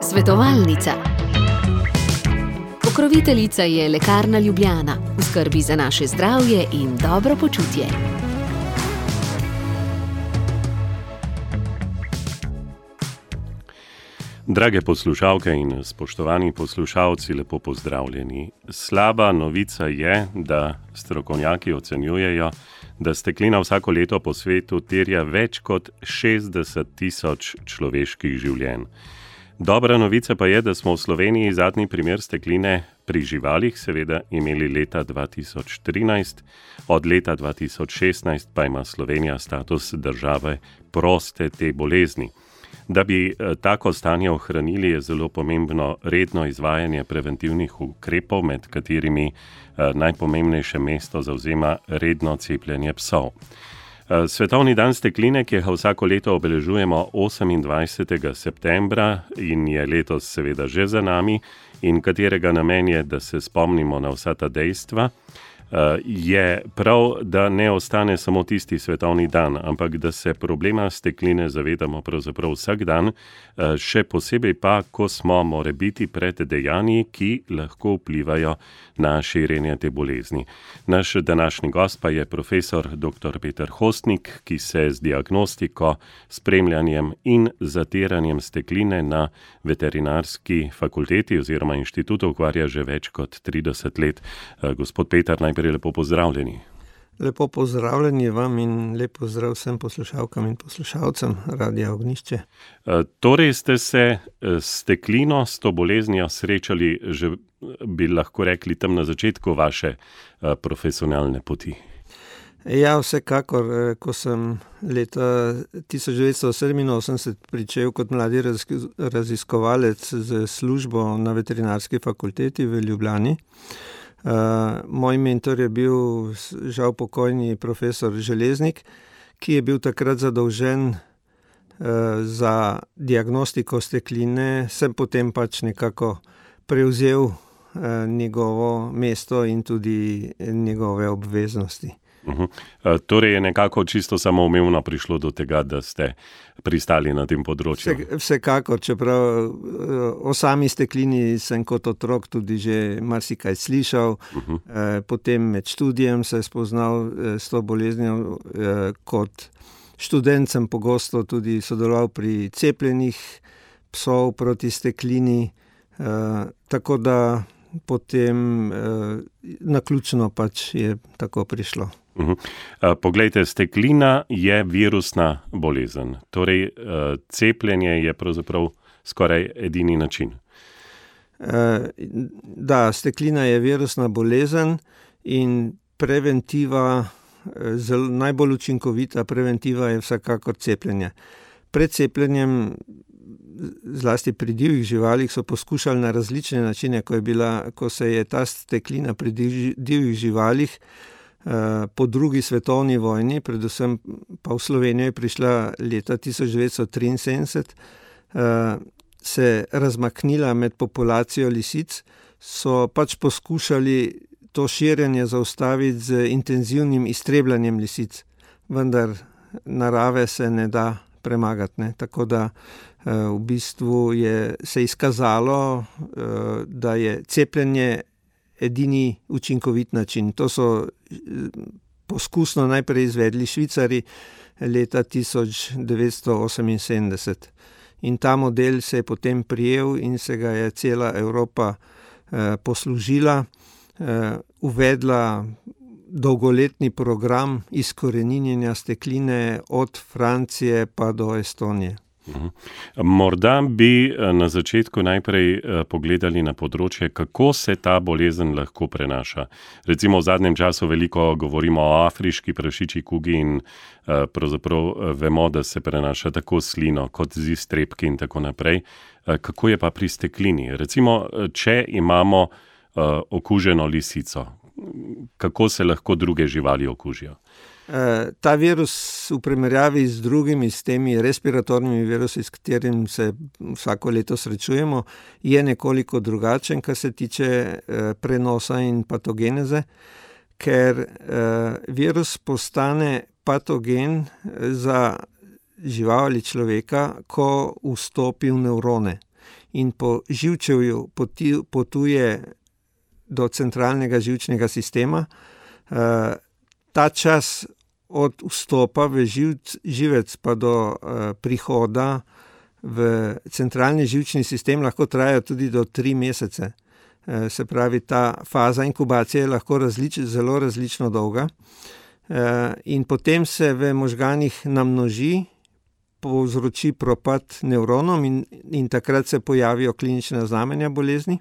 Svetovalnica. Pokroviteljica je Lekarna Ljubljana, v skrbi za naše zdravje in dobro počutje. Drage poslušalke in spoštovani poslušalci, lepo pozdravljeni. Slaba novica je, da strokovnjaki ocenjujejo, da steklina vsako leto po svetu terja več kot 60.000 človeških življenj. Dobra novica pa je, da smo v Sloveniji zadnji primer stekline pri živalih seveda imeli leta 2013, od leta 2016 pa ima Slovenija status države proste te bolezni. Da bi tako stanje ohranili, je zelo pomembno redno izvajanje preventivnih ukrepov, med katerimi najpomembnejše mesto zavzema redno cepljenje psov. Svetovni dan stekline, ki ga vsako leto obeležujemo 28. septembra in je letos seveda že za nami in katerega namen je, da se spomnimo na vsa ta dejstva, je prav, da ne ostane samo tisti svetovni dan, ampak da se problema stekline zavedamo pravzaprav vsak dan, še posebej pa, ko smo morebiti pred dejanji, ki lahko vplivajo na širjenje te bolezni. Naš današnji gost pa je profesor dr. Peter Hostnik, ki se z diagnostiko, spremljanjem in zatiranjem stekline na veterinarski fakulteti oziroma inštitutu ukvarja že več kot 30 let. Gospod Peter, najprej lepo pozdravljeni. Lepo pozdravljeni vam in lep pozdrav vsem poslušalkam in poslušalcem Radia Ognjišče. Torej ste se s steklino, s to boleznijo srečali že, bi lahko rekli, tam na začetku vaše profesionalne poti. Ja, vsekakor, ko sem leta 1987 pričel kot mladi raziskovalec z službo na veterinarski fakulteti v Ljubljani. Moj mentor je bil žal pokojni profesor Železnik, ki je bil takrat zadolžen za diagnostiko stekline, sem potem pač nekako prevzel njegovo mesto in tudi njegove obveznosti. Torej je nekako čisto samoumevno prišlo do tega, da ste pristali na tem področju. Vsekakor, čeprav o sami steklini sem kot otrok tudi že marsikaj slišal. Potem med študijem se spoznal s to boleznijo. Kot študent sem pogosto tudi sodeloval pri cepljenjih psov proti steklini, tako da potem naključno pač je tako prišlo. Poglejte, steklina je virusna bolezen, torej cepljenje je pravzaprav skoraj edini način. Da, steklina je virusna bolezen in preventiva, najbolj učinkovita preventiva je vsekakor cepljenje. Pred cepljenjem, zlasti pri divjih živalih, so poskušali na različne načine, ko se je ta steklina pri divjih živalih po drugi svetovni vojni, predvsem pa v Slovenijo je prišla leta 1973, se razmaknila med populacijo lisic, so pač poskušali to širjenje zaustaviti z intenzivnim iztrebljanjem lisic, vendar narave se ne da premagati, ne? Tako da v bistvu se izkazalo, da je cepljenje edini učinkovit način. To so poskusno najprej izvedli Švicari leta 1978. In ta model se je potem prijel in se ga je cela Evropa poslužila, uvedla dolgoletni program izkoreninjenja stekline od Francije pa do Estonije. Morda bi na začetku najprej pogledali na področje, kako se ta bolezen lahko prenaša. Recimo v zadnjem času veliko govorimo o afriški prašičji kugi in pravzaprav vemo, da se prenaša tako s slino kot z iztrebki in tako naprej. Kako je pa pri steklini? Recimo, če imamo okuženo lisico, kako se lahko druge živali okužijo? Ta virus v primerjavi z drugimi, s temi respiratornimi virusi, s katerim se vsako leto srečujemo, je nekoliko drugačen, kar se tiče prenosa in patogeneze, ker virus postane patogen za žival ali človeka, ko vstopi v nevrone in po živčevju potuje do centralnega živčnega sistema. Ta čas od vstopa v živec pa do prihoda v centralni živčni sistem lahko traja tudi do 3 mesece. Se pravi, ta faza inkubacije je lahko zelo različno dolga. In potem se v možganih namnoži, povzroči propad nevronom in takrat se pojavijo klinična znamenja bolezni.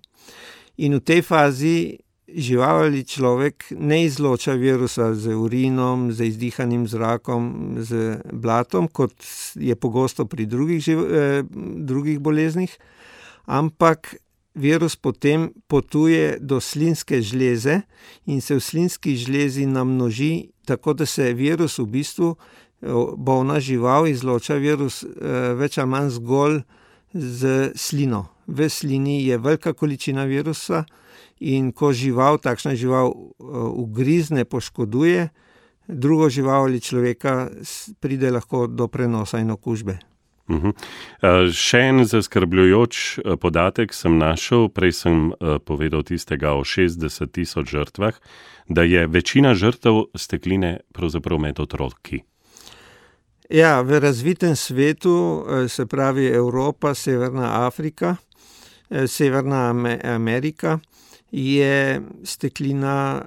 In v tej fazi žival ali človek ne izloča virusa z urinom, z izdihanim zrakom, z blatom, kot je pogosto pri drugih boleznih, ampak virus potem potuje do slinske žleze in se v slinski žlezi namnoži, tako da se virus v bistvu, bolna žival izloča virus več ali manj zgolj z slino. V slini je velika količina virusa in ko takšna žival ugrizne, poškoduje drugo žival ali človeka, pride lahko do prenosa in okužbe. Še en zaskrbljujoč podatek sem našel, prej sem povedal tistega o 60 000 žrtvah, da je večina žrtev stekline pravzaprav med otroki. Ja, v razvitem svetu, se pravi Evropa, Severna Afrika, Severna Amerika, je steklina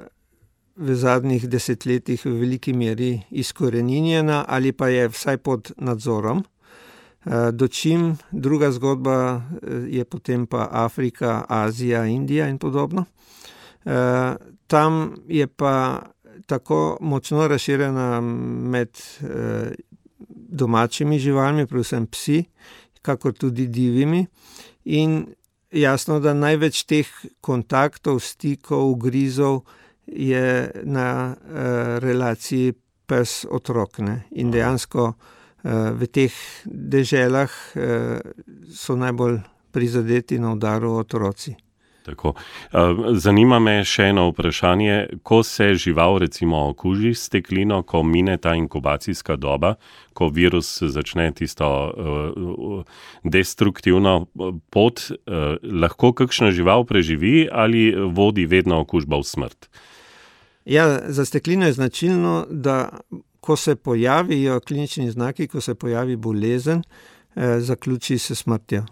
v zadnjih desetletjih v veliki meri izkoreninjena ali pa je vsaj pod nadzorom. Dočim druga zgodba je potem pa Afrika, Azija, Indija in podobno. Tam je pa tako močno razširjena med domačimi živalmi, predvsem psi, kakor tudi divjimi. In jasno, da največ teh kontaktov, stikov, ugrizov je na relaciji pes-otrok. In dejansko v teh deželah so najbolj prizadeti na udaru otroci. Tako. Zanima me še eno vprašanje. Ko se žival recimo okuži s steklino, ko mine ta inkubacijska doba, ko virus začne tisto destruktivno pot, lahko kakšna žival preživi ali vodi vedno okužba v smrt? Ja, za steklino je značilno, da ko se pojavijo klinični znaki, ko se pojavi bolezen, zaključi se smrtjo.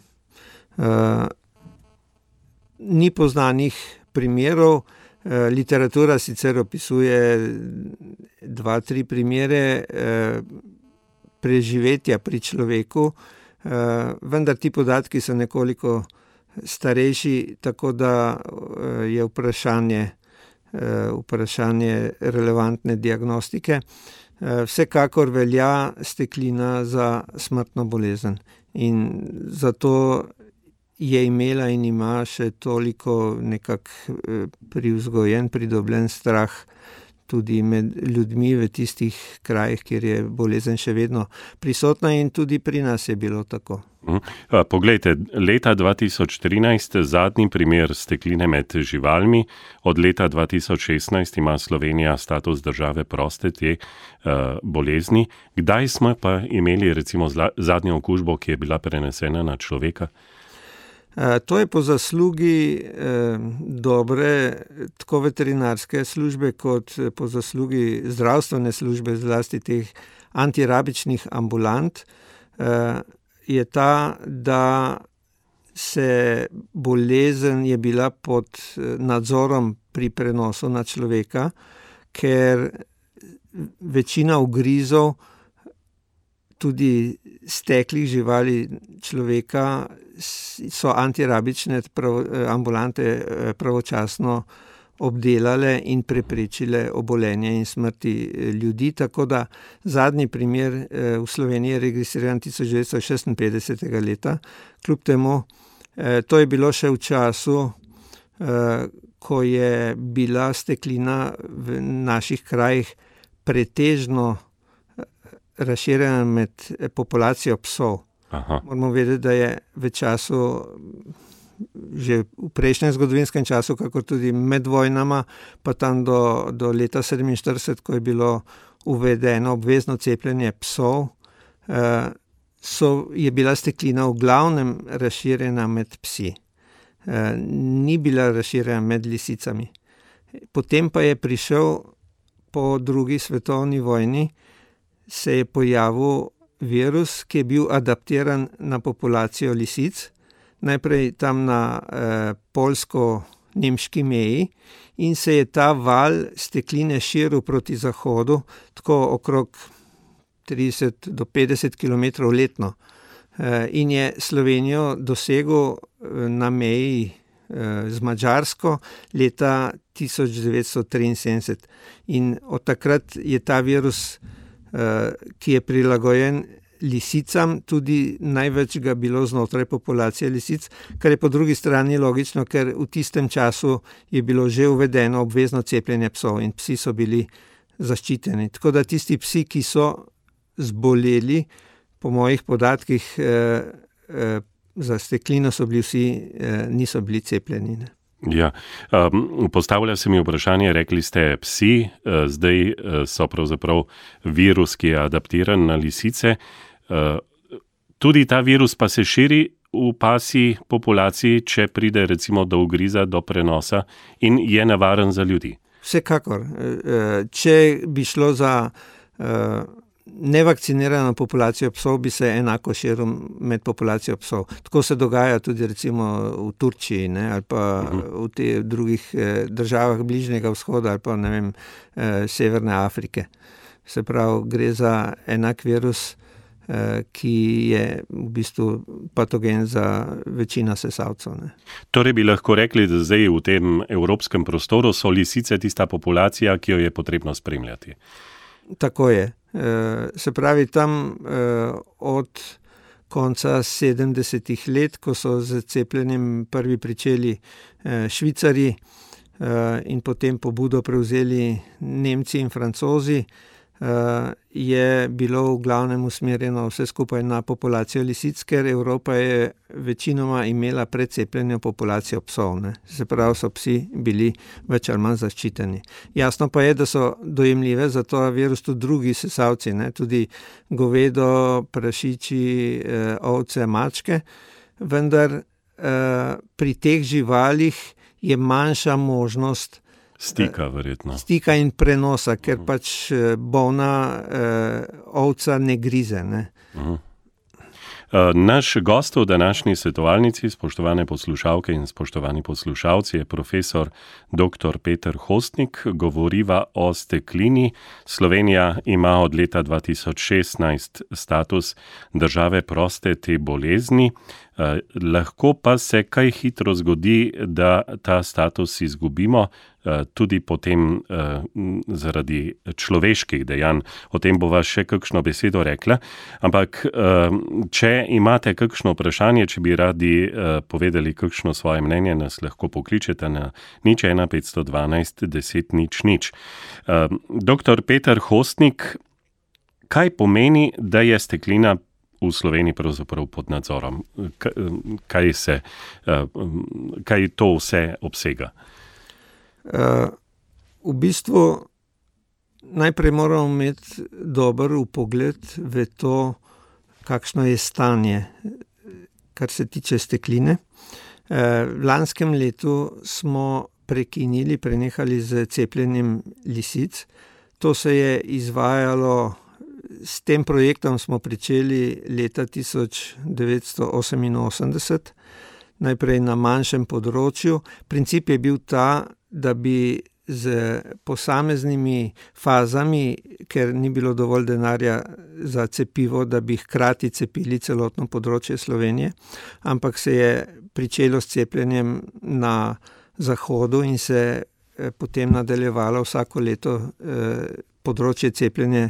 Ni poznanih primerov, literatura sicer opisuje 2-3 primere preživetja pri človeku, vendar ti podatki so nekoliko starejši, tako da je vprašanje relevantne diagnostike. Vsekakor velja steklina za smrtno bolezen in zato je imela in ima še toliko privzgojen, pridobljen strah tudi med ljudmi v tistih krajih, kjer je bolezen še vedno prisotna in tudi pri nas je bilo tako. Poglejte, leta 2013 zadnji primer stekline med živalmi, od leta 2016 ima Slovenija status države proste te bolezni. Kdaj smo pa imeli recimo zadnjo okužbo, ki je bila prenesena na človeka? To je po zaslugi dobre tako veterinarske službe kot po zaslugi zdravstvene službe, zlasti teh antirabičnih ambulant, je ta, da se bolezen je bila pod nadzorom pri prenosu na človeka, ker večina ugrizov tudi steklih živali človeka so antirabične ambulante pravočasno obdelale in preprečile obolenje in smrti ljudi, tako da zadnji primer v Sloveniji je registriran 1956. leta. Kljub temu, to je bilo še v času, ko je bila steklina v naših krajih pretežno razširjena med populacijo psov. Aha. Moramo vedeti, da je v času, že v prejšnjem zgodovinskem času, kako tudi med vojnama, pa tam do leta 1947, ko je bilo uvedeno obvezno cepljenje psov je bila steklina v glavnem razširjena med psi. Ni bila razširjena med lisicami. Potem pa je prišel po drugi svetovni vojni, se je pojavil virus, ki je bil adaptiran na populacijo lisic, najprej tam na poljsko-nemški meji, in se je ta val stekline širil proti zahodu, tako okrog 30 do 50 km letno. In je Slovenijo dosegel na meji z Madžarsko leta 1973. In od takrat je ta virus, ki je prilagojen lisicam, tudi največ ga bilo znotraj populacije lisic, kar je po drugi strani logično, ker v tistem času je bilo že uvedeno obvezno cepljenje psov in psi so bili zaščiteni. Tako da tisti psi, ki so zboleli, po mojih podatkih za steklino so bili vsi, niso bili cepljeni. Ne? Ja, postavlja se mi vprašanje, rekli ste psi, zdaj so pravzaprav virus, ki je adaptiran na lisice. Tudi ta virus pa se širi v pasji populaciji, če pride recimo do ugriza, do prenosa in je nevaren za ljudi. Vsekakor. Če bi šlo za nevakcinirano populacijo psov, bi se enako širil med populacijo psov. Tako se dogaja tudi recimo v Turčiji, ne, ali pa v teh drugih državah Bližnjega vzhoda ali pa, ne vem, Severne Afrike. Se pravi, gre za enak virus, ki je v bistvu patogen za večino sesalcev. Ne. Torej bi lahko rekli, da zdaj v tem evropskem prostoru so lisice tista populacija, ki jo je potrebno spremljati. Tako je. Se pravi, tam od konca 70-ih let, ko so z cepljenjem prvi pričeli Švicarji in potem pobudo prevzeli Nemci in Francozi, je bilo v glavnem usmerjeno vse skupaj na populacijo lisic, ker Evropa je večinoma imela pred cepljenjem populacijo psov. Ne. Se pravi, so psi bili več ali manj zaščiteni. Jasno pa je, da so dojemljive za to virus tudi drugi sesalci, ne. Tudi govedo, prašiči, ovce, mačke, vendar pri teh živalih je manjša možnost stika, verjetno. Stika in prenosa, ker pač bolna ovca ne grize. Ne? Naš gost v današnji svetovalnici, spoštovane poslušalke in spoštovani poslušalci, je profesor dr. Peter Hostnik. Govoriva o steklini. Slovenija ima od leta 2016 status države proste te bolezni. Lahko pa se kaj hitro zgodi, da ta status izgubimo, tudi potem zaradi človeških dejanj. O tem bova še kakšno besedo rekla. Ampak če imate kakšno vprašanje, če bi radi povedali kakšno svoje mnenje, nas lahko pokličete na 01 512 10 00. Dr. Peter Hostnik, kaj pomeni, da je steklina v Sloveniji pravzaprav pod nadzorom? Kaj to vse obsega? V bistvu najprej moramo imeti dober vpogled v to, kakšno je stanje, kar se tiče stekline. V lanskem letu smo prenehali z cepljenjem lisic. To se je izvajalo, s tem projektom smo pričeli leta 1988, najprej na manjšem področju. Princip je bil ta, da bi z posameznimi fazami, ker ni bilo dovolj denarja za cepivo, da bi hkrati cepili celotno področje Slovenije, ampak se je pričelo s cepljenjem na zahodu in se potem nadaljevalo vsako leto področje cepljenja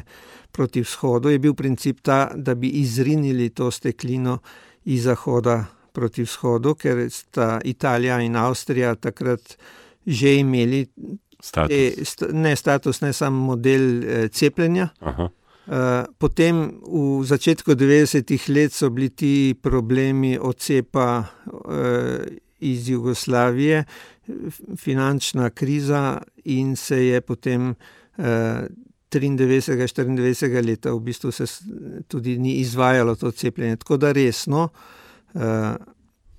proti vzhodu. Je bil princip ta, da bi izrinili to steklino iz zahoda proti vzhodu, ker sta Italija in Avstrija takrat že imeli status, ne samo model cepljenja. Aha. Potem v začetku 90-ih let so bili ti problemi odcepa iz Jugoslavije, finančna kriza, in se je potem 93-94 leta v bistvu se tudi ni izvajalo to cepljenje. Tako da resno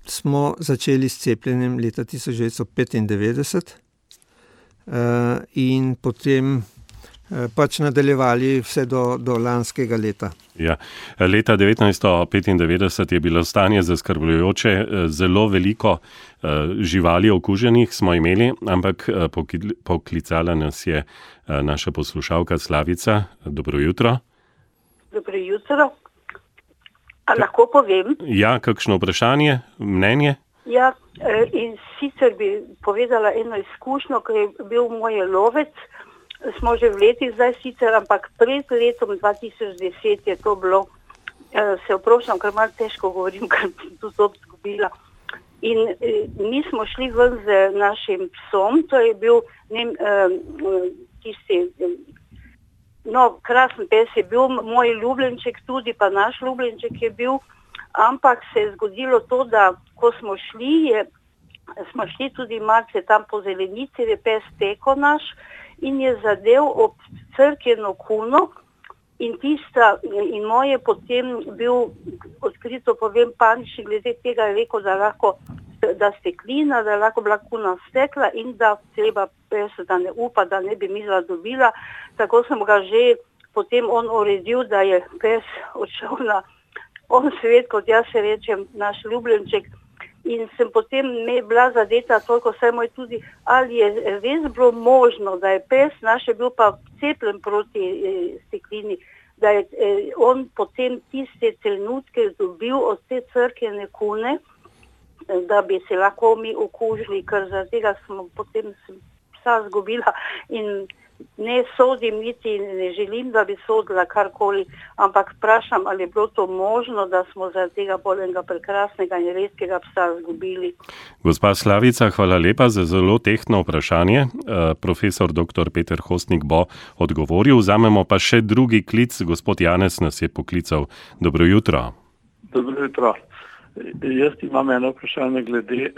smo začeli s cepljenjem leta 1995 in potem pač nadaljevali vse do lanskega leta. Ja. Leta 1995 je bilo stanje zaskrbljujoče, zelo veliko živali okuženih smo imeli, ampak poklicala nas je naša poslušalka Slavica. Dobro jutro. Dobro jutro. A lahko povem? Ja, kakšno vprašanje, mnenje? Ja, in sicer bi povedala eno izkušnjo, ko je bil moj lovec. Smo že v letih zdaj sicer, ampak pred letom 2010 je to bilo, se oprošam, ker malo težko govorim, ker sem tu zob zgubila. In mi smo šli ven z našim psom, to je bil krasen pes je bil, moj ljubljenček tudi, pa naš ljubljenček je bil, ampak se je zgodilo to, da ko smo šli tudi malce tam po zelenici, je pes teko naš, in je zadev ob crkveno kuno in moje potem bil, odkrito povem, panični glede tega, je rekel, da steklina, da lahko bila kuna stekla in da treba pes, da ne upa, da ne bi midva dobila. Tako sem ga že potem on uredil, da je pes odšel na svet, kot jaz se rečem, naš ljubljenček. In sem potem bila zadeta toliko, saj moj tudi, ali je res bilo možno, da je pes naš je bil pa cepljen proti steklini, da je on potem tiste trenutke dobil od te crkvene kune, da bi se lahko mi okužili, ker zaradi tega smo potem psa zgubila in ne sodim niti, ne želim, da bi sodila karkoli, ampak vprašam, ali je bilo to možno, da smo zaradi tega polenega prekrasnega in redkega psa zgubili. Gospa Slavica, hvala lepa za zelo tehtno vprašanje. Profesor dr. Peter Hostnik bo odgovoril. Vzamemo pa še drugi klic. Gospod Janez nas je poklical. Dobro jutro. Dobro jutro. Jaz imam eno vprašanje glede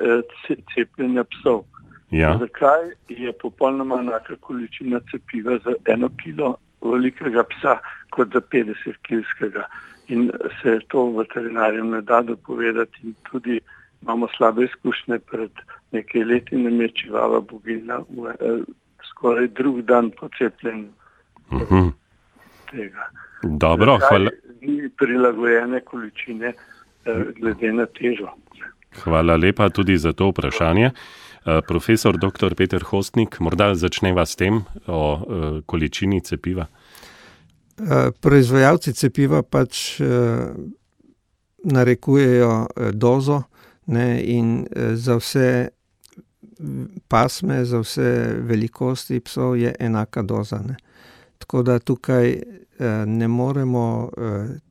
cepljenja psov. Ja. Zakaj je popolnoma enaka količina cepiva za 1 kilo velikega psa kot za 50 kilskega? In se to veterinarjem ne da dopovedati in tudi imamo slabe izkušnje. Pred nekaj leti nam je čivava bogina skoraj drug dan po cepljenju tega. Dobro, hvala. Ni prilagojene količine glede na težo. Hvala lepa tudi za to vprašanje. Profesor dr. Peter Hostnik, morda začneva s tem o količini cepiva. Proizvajalci cepiva pač narekujejo dozo, ne, in za vse pasme, za vse velikosti psov je enaka doza. Ne. Tako da tukaj ne moremo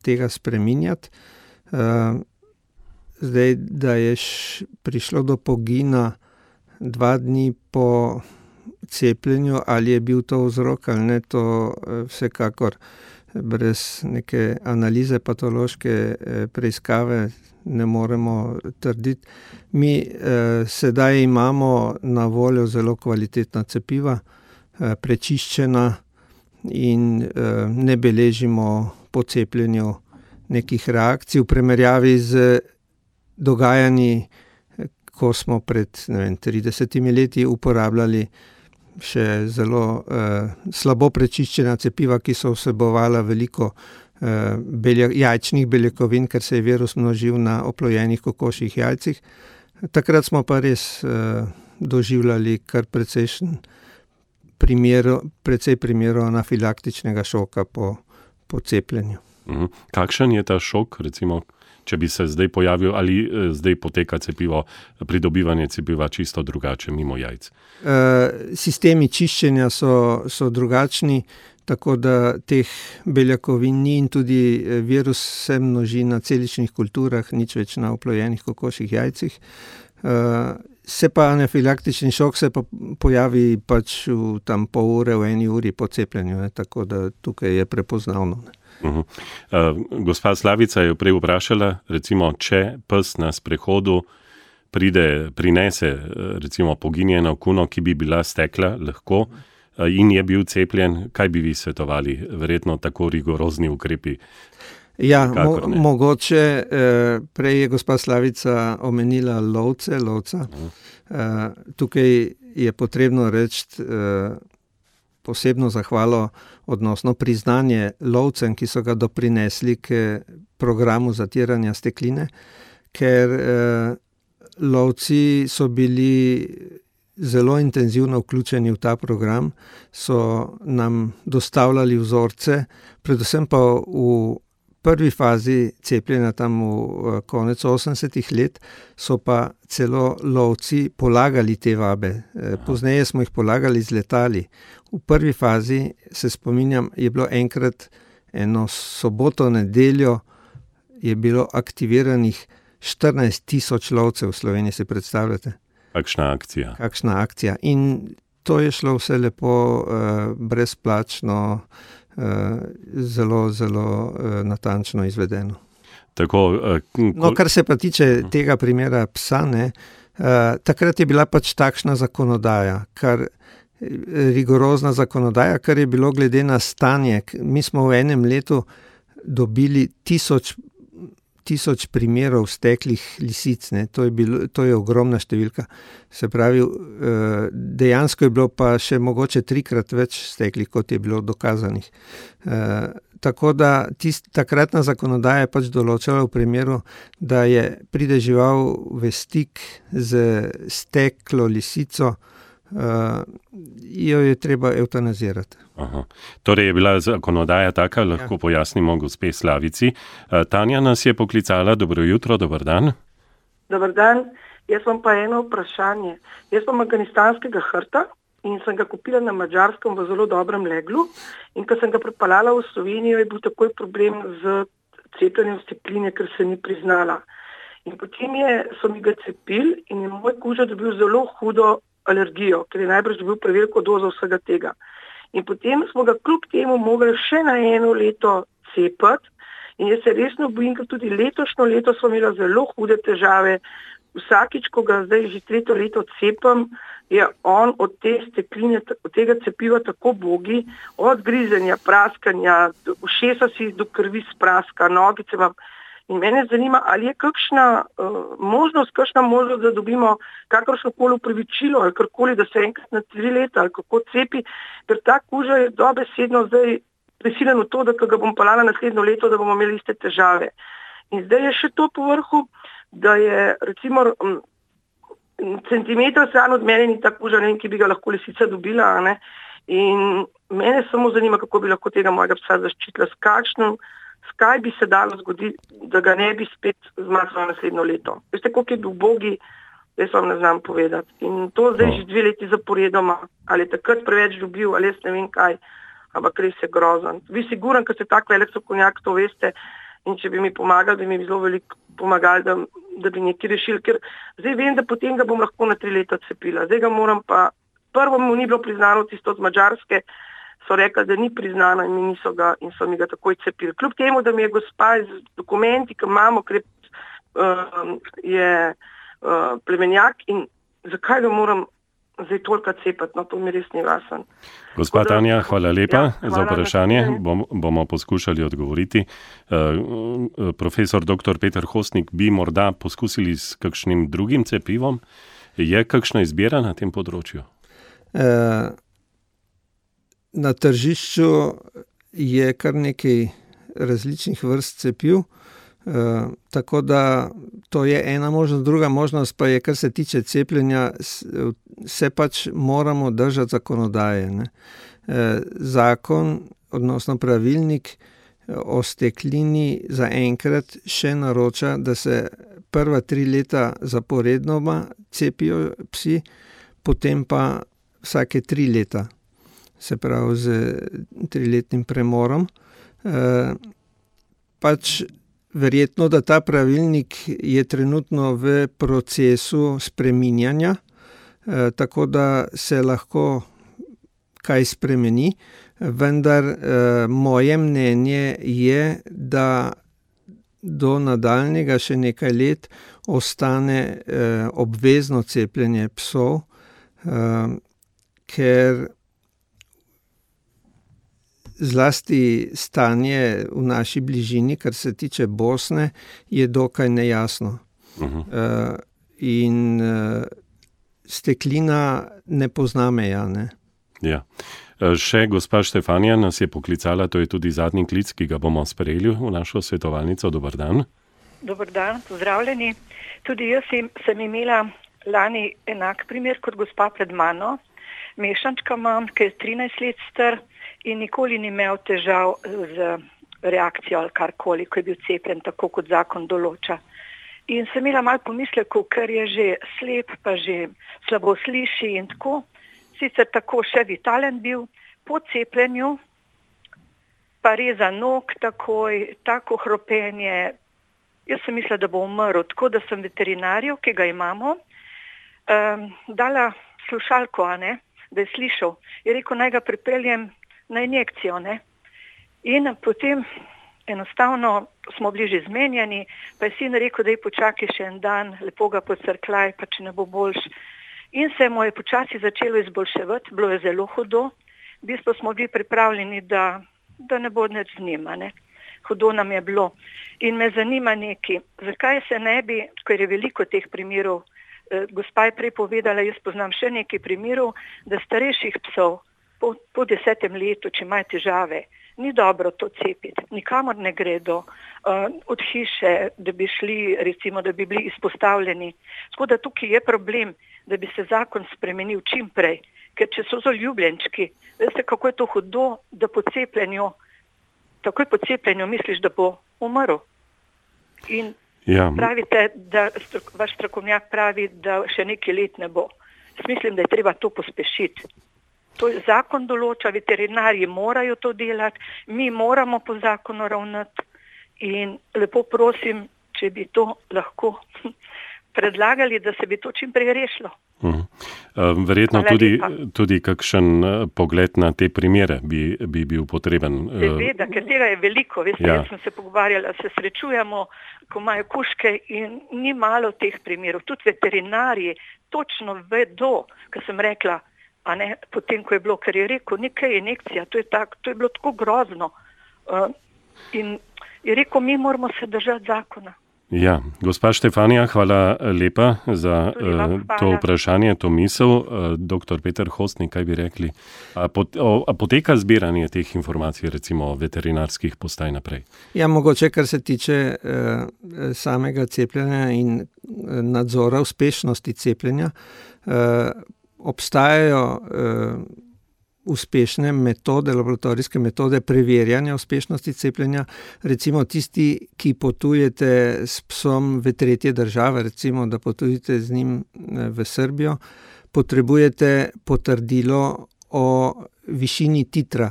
tega spreminjati. Zdaj, da je prišlo do pogina 2 dni po cepljenju, ali je bil to vzrok ali ne, to vsekakor brez neke analize patološke preiskave ne moremo trditi. Mi sedaj imamo na voljo zelo kvalitetna cepiva, prečiščena in ne beležimo po cepljenju nekih reakcij v primerjavi z dogajanji, ko smo pred 30 leti uporabljali še zelo slabo prečiščena cepiva, ki so vsebovala veliko jajčnih beljakovin, ker se je virus množil na oplojenih kokošjih jajcih. Takrat smo pa res doživljali kar precej primerov anafilaktičnega šoka po cepljenju. Kakšen je ta šok, recimo, če bi se zdaj pojavil, ali zdaj poteka pridobivanje cepiva čisto drugače, mimo jajc? Sistemi čiščenja so drugačni, tako da teh beljakovin ni in tudi virus se množi na celičnih kulturah, nič več na oplojenih kokošjih jajcih. Se pa anafilaktični šok se pa pojavi pač v tam pol ure, v 1 uri po cepljenju, ne, tako da tukaj je prepoznavno. Gospa Slavica je prej vprašala, recimo, če pes na sprehodu prinese recimo poginjeno kuno, ki bi bila stekla, lahko in je bil cepljen, kaj bi vi svetovali? Verjetno tako rigorozni ukrepi. Ja, mogoče, prej je gospa Slavica omenila lovca. Tukaj je potrebno reči posebno zahvalo, odnosno priznanje lovcem, ki so ga doprinesli k programu zatiranja stekline, ker lovci so bili zelo intenzivno vključeni v ta program, so nam dostavljali vzorce, predvsem pa v prvi fazi cepljenja, tam v konec 80-ih let, so pa celo lovci polagali te vabe. Pozneje smo jih polagali z letali. V prvi fazi, se spominjam, je bilo enkrat eno soboto, nedeljo, je bilo aktiviranih 14,000 lovcev v Sloveniji, si predstavljate? Kakšna akcija. In to je šlo vse lepo, brezplačno, zelo, zelo natančno izvedeno. Kar se pa tiče tega primera psa, takrat je bila pač takšna zakonodaja, rigorozna zakonodaja, kar je bilo glede na stanje. Mi smo v enem letu dobili 1000 primerov steklih lisic, to je ogromna številka. Se pravi, dejansko je bilo pa še mogoče 3-krat več steklih, kot je bilo dokazanih. Tako da takratna zakonodaja je pač določala v primeru, da pride žival v stik z steklo lisico, jo je treba evtanazirati. Torej je bila zakonodaja taka, lahko pojasnimo gospe Slavici. Tanja nas je poklicala. Dobro jutro, dober dan. Dober dan, jaz imam pa eno vprašanje. Jaz imam afganistanskega hrta in sem ga kupila na Madžarskem v zelo dobrem leglu in ko sem ga pripeljala v Slovenijo, je bil takoj problem z cepljenjem stekline, ker se ni priznala. In potem so mi ga cepili in je moj kuža dobil zelo hudo alergijo, ker je najbrž dobil preveliko dozo vsega tega. In potem smo ga kljub temu mogli še na 1 leto cepiti in jaz se resno bojim, ker tudi letošnjo leto smo imeli zelo hude težave. Vsakič, ko ga zdaj že 3. leto cepim, je on od te stekline, od tega cepiva tako bogi, od grizenja, praskanja, ušesa si do krvi spraska, nogice vam. In mene zanima, ali je kakšna možnost, da dobimo kakršnokoli upravičilo ali karkoli, da se enkrat na 3 leta ali kako cepi, ker ta kuža je dobesedno zdaj prisiljen v to, da ko ga bom pelala naslednjo leto, da bomo imeli iste težave. In zdaj je še to po vrhu, da je recimo centimeter stran od mene ni ta kuža, ki bi ga lahko lisica dobila. In mene samo zanima, kako bi lahko tega mojega psa zaščitila, kaj bi se dalo zgoditi, da ga ne bi spet zmazala naslednjo leto. Veste, koliko je bil bogi, jaz vam ne znam povedati. In to zdaj že 2 leti zaporedoma, ali je takrat preveč dobil, ali jaz ne vem kaj, ampak res je grozen. Vi siguran, ker ste tak velik strokovnjak, to veste, in če bi mi pomagali, bi mi zelo veliko pomagali, da bi nekaj rešili, ker zdaj vem, da potem ga bom lahko na 3 leta cepila. Zdaj ga moram pa, prvo mu ni bilo priznano tisto z Madžarske, so rekli, da ni priznano in mi niso ga in so mi ga takoj cepili. Kljub temu, da mi je gospa z dokumenti, ki imamo, ker je plemenjak in zakaj ga moram zdaj toliko cepati, to mi res ni jasen. Gospa Tanja, hvala lepa za vprašanje. Bomo poskušali odgovoriti. Profesor dr. Peter Hostnik, bi morda poskusili s kakšnim drugim cepivom? Je kakšna izbira na tem področju? Na tržišču je kar nekaj različnih vrst cepiv, tako da to je ena možnost. Druga možnost pa je, kar se tiče cepljenja, se pač moramo držati zakonodaje. Zakon, odnosno pravilnik o steklini zaenkrat še naroča, da se prva 3 leta zaporednoma cepijo psi, potem pa vsake 3 leta. Se pravi z 3-letnim premorom. Pač verjetno, da ta pravilnik je trenutno v procesu spreminjanja, tako da se lahko kaj spremeni, vendar moje mnenje je, da do nadaljnjega še nekaj let ostane obvezno cepljenje psov, ker zlasti stanje v naši bližini, kar se tiče Bosne, je dokaj nejasno. In steklina ne pozna meja, ne? Ja. Še gospa Štefanija nas je poklicala, to je tudi zadnji klic, ki ga bomo sprejeli v našo svetovalnico. Dober dan. Dober dan, pozdravljeni. Tudi jaz sem imela lani enak primer kot gospa pred mano. Mešančka imam, ki je 13 let star in nikoli ni imel težav z reakcijo ali karkoli, ko je bil cepljen, tako kot zakon določa. In sem imela malo pomislekov, ker je že slep, pa že slabo sliši in tako. Sicer tako še vitalen bil, po cepljenju pa reza nog takoj, tako hropenje. Jaz sem mislila, da bo umrl, tako da sem veterinarju, ki ga imamo, dala slušalko, da je slišal. Je rekel, naj ga pripeljem na injekcijo. In potem enostavno smo bili že zmenjeni, pa je sin rekel, da je počakaj še en dan, lepo ga pocrkljaj, pa če ne bo boljš. In se mu je počasi začelo izboljševati, bilo je zelo hudo. V bistvu smo bili pripravljeni, da ne bo nič z njim. Hudo nam je bilo. In me zanima nekaj, zakaj se ne bi, ker je veliko teh primerov, gospa je prej povedala, jaz poznam še nekaj primerov, da starejših psov po 10. letu, če imajo težave, ni dobro to cepiti, nikamor ne gredo od hiše, da bi šli, recimo, da bi bili izpostavljeni. Tako da tukaj je problem, da bi se zakon spremenil čim prej, ker če so ljubljenčki, veste, kako je to hudo, da takoj po cepljenju misliš, da bo umrl. In pravite, da vaš strokovnjak pravi, da še nekaj let ne bo. Mislim, da je treba to pospešiti. To zakon določa, veterinarji morajo to delati, mi moramo po zakonu ravnati in lepo prosim, če bi to lahko predlagali, da se bi to čim prej rešilo. Verjetno tudi kakšen pogled na te primere bi bil potreben. Seveda, ker tega je veliko. Veste, jaz sem se pogovarjala, se srečujemo, ko imajo kužke in ni malo teh primerov. Tudi veterinarji točno vedo, ker sem rekla, potem, ko je bilo, ker je rekel, nekaj injekcija, to je bilo tako grozno. In je rekel, mi moramo se držati zakona. Ja, gospa Štefanija, hvala lepa za to vprašanje, to misel. Dr. Peter Hostnik, kaj bi rekli? A poteka zbiranje teh informacij, recimo veterinarskih postaj naprej? Ja, mogoče, kar se tiče samega cepljenja in nadzora uspešnosti cepljenja, obstajajo uspešne metode, laboratorijske metode preverjanja uspešnosti cepljenja. Recimo tisti, ki potujete s psom v tretje države, recimo, da potujete z njim v Srbijo, potrebujete potrdilo o višini titra.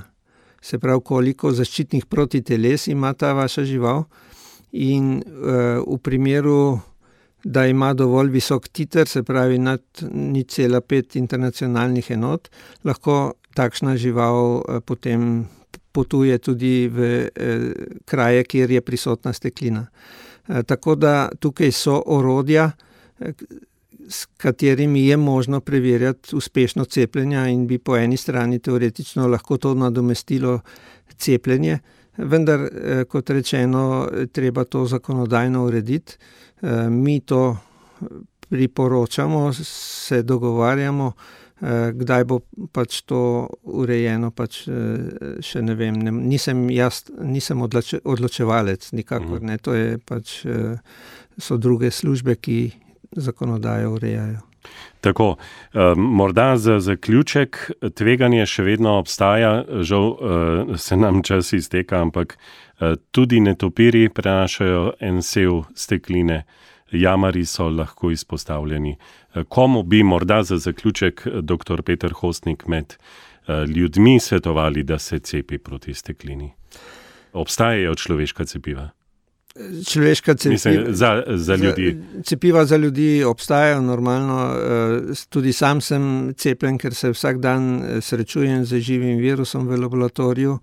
Se pravi, koliko zaščitnih protiteles ima ta vaša žival in v primeru, da ima dovolj visok titer, se pravi nad 0,5 internacionalnih enot, lahko takšna žival potem potuje tudi v kraje, kjer je prisotna steklina. Tako da tukaj so orodja, s katerimi je možno preverjati uspešno cepljenja in bi po eni strani teoretično lahko to nadomestilo cepljenje, vendar, kot rečeno, treba to zakonodajno urediti. Mi to priporočamo, se dogovarjamo, kdaj bo pač to urejeno, pač še ne vem, nisem odločevalec, nikakor ne, to je pač, so druge službe, ki zakonodajo urejajo. Tako, morda za zaključek, tveganje še vedno obstaja, žal se nam čas izteka, ampak tudi netopiri prenašajo en sev stekline, jamari so lahko izpostavljeni. Komu bi morda za zaključek dr. Peter Hostnik med ljudmi svetovali, da se cepi proti steklini? Obstajajo človeška cepiva? Človeška cepiva, mislim, za ljudi. Cepiva za ljudi obstajajo normalno. Tudi sam sem cepljen, ker se vsak dan srečujem z živim virusom v laboratoriju.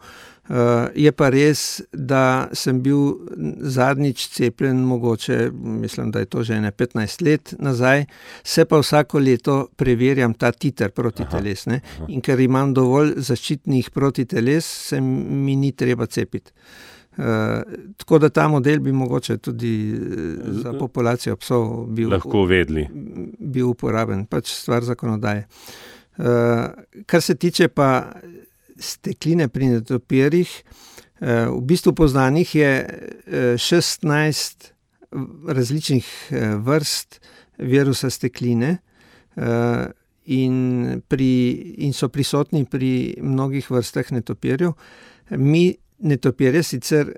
Je pa res, da sem bil zadnjič cepljen, mogoče, mislim, da je to že 15 let nazaj, se pa vsako leto preverjam ta titer protiteles. Ne? In ker imam dovolj zaščitnih protiteles, se mi ni treba cepiti. Tako da ta model bi mogoče tudi za populacijo psov bil uporaben, pač stvar zakonodaje. Kar se tiče pa stekline pri netopirjih, v bistvu poznanih je 16 različnih vrst virusa stekline in so prisotni pri mnogih vrstah netopirjev. Mi netopirje sicer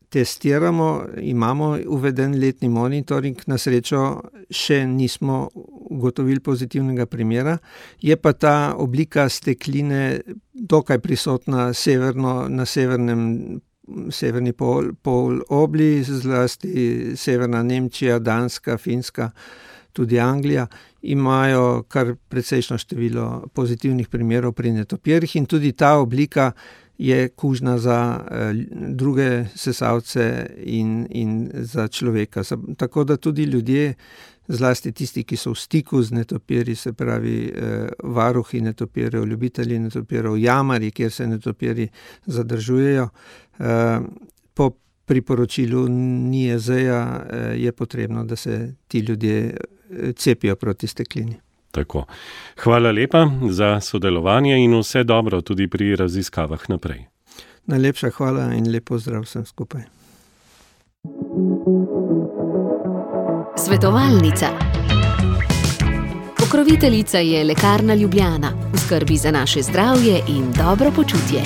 testiramo, imamo uveden letni monitoring, na srečo še nismo ugotovili pozitivnega primera. Je pa ta oblika stekline dokaj prisotna na severni polobli, zlasti severna Nemčija, Danska, Finska, tudi Anglija, imajo kar precejšno število pozitivnih primerov pri netopirjih in tudi ta oblika je kužna za druge sesalce in za človeka. Tako da tudi ljudje, zlasti tisti, ki so v stiku z netopirji, se pravi varuhi netopirjev, ljubitelji netopirjev, jamarji, kjer se netopirji zadržujejo, po priporočilu NIJZ-ja je potrebno, da se ti ljudje cepijo proti steklini. Tako. Hvala lepa za sodelovanje in vse dobro tudi pri raziskavah naprej. Najlepša hvala in lep pozdrav vsem skupaj. Svetovalnica. Pokroviteljica je Lekarna Ljubljana, v skrbi za naše zdravje in dobro počutje.